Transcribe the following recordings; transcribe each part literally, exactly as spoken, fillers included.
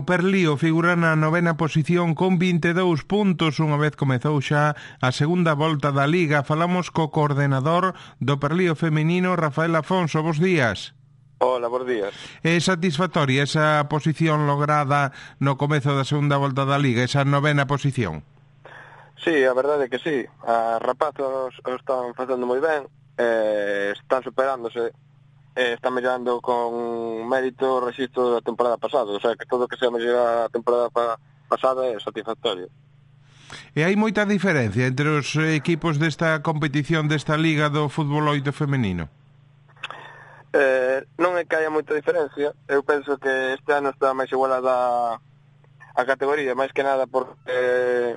Perlío figura na novena posición con vinte e dous puntos unha vez comezou xa a segunda volta da Liga. Falamos co coordenador do Perlío feminino, Rafael Afonso. Bos días. Hola, bons días. É satisfactoria esa posición lograda no comezo da segunda volta da Liga, esa novena posición? Sí, a verdade é que sí. As rapazas o están facendo moi ben, eh, están superándose, eh, están mellorando con mérito o rexistro da temporada pasada, o sea que todo o que sea mellorar a temporada pa pasada é satisfactorio. E hai moita diferencia entre os equipos desta competición, desta Liga do fútbol oito femenino? Eh, non é que haya moita diferencia, eu penso que este ano está máis igualada a categoría, máis que nada porque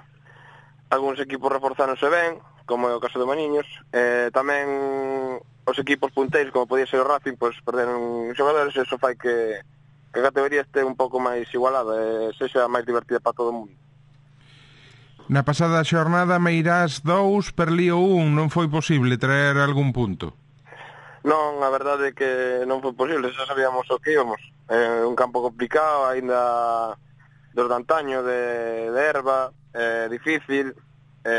algúns equipos reforzáronse ben, como é o caso de Maniños, eh, tamén os equipos punteiros, como podía ser o Racing, pois perderon xogadores, e iso fai que, que a categoría este un pouco máis igualada e sexa máis divertida para todo o mundo. Na pasada xornada Meirás dous, Perlío un, non foi posible traer algún punto? Non, a verdade é que non foi posible, xa sabíamos o que íbamos. É un campo complicado, aínda dos de antaño, de, de erva, é difícil, e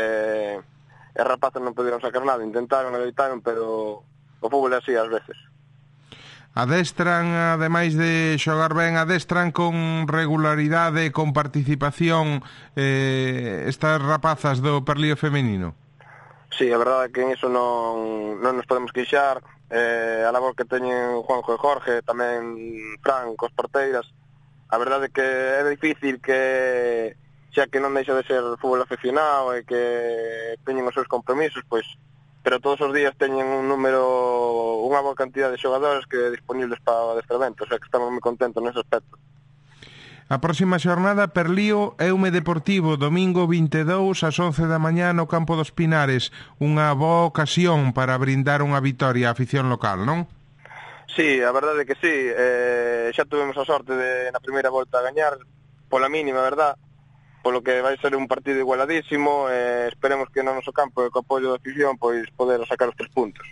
as rapazas non puderon sacar nada, intentaron, adeitaron, pero o fútbol é así ás veces. Adestran, ademais de xogar ben, adestran con regularidade, con participación eh, estas rapazas do Perlío femenino? Sí, a verdade é que en iso non, non nos podemos queixar. Eh, a labor que teñen Juanjo e Jorge, tamén Fran, cos porteiras, a verdade é que é difícil que, xa que non deixa de ser fútbol aficionado e que teñen os seus compromisos, pois, pero todos os días teñen un número, unha boa cantidad de xogadores que disponibles para o adestramento, o sea que estamos moi contentos nese aspecto. A próxima xornada, Perlío Eume Deportivo, domingo vinte e dous ás once da mañá no campo dos Pinares. Unha boa ocasión para brindar unha vitoria á afición local, non? Sí, a verdade é que sí. Eh, xa tuvemos a sorte de na primeira volta a gañar, pola mínima, verdad? Polo que vai ser un partido igualadísimo, eh, esperemos que no noso campo e co apoio da afición pois poder sacar os tres puntos.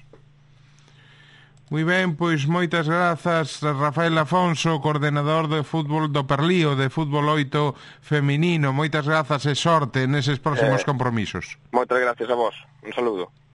Moi ben, pois moitas grazas, Rafael Afonso, coordenador de fútbol do Perlío, de fútbol oito feminino. Moitas grazas e sorte neses próximos eh, compromisos. Moitas gracias a vos. Un saludo.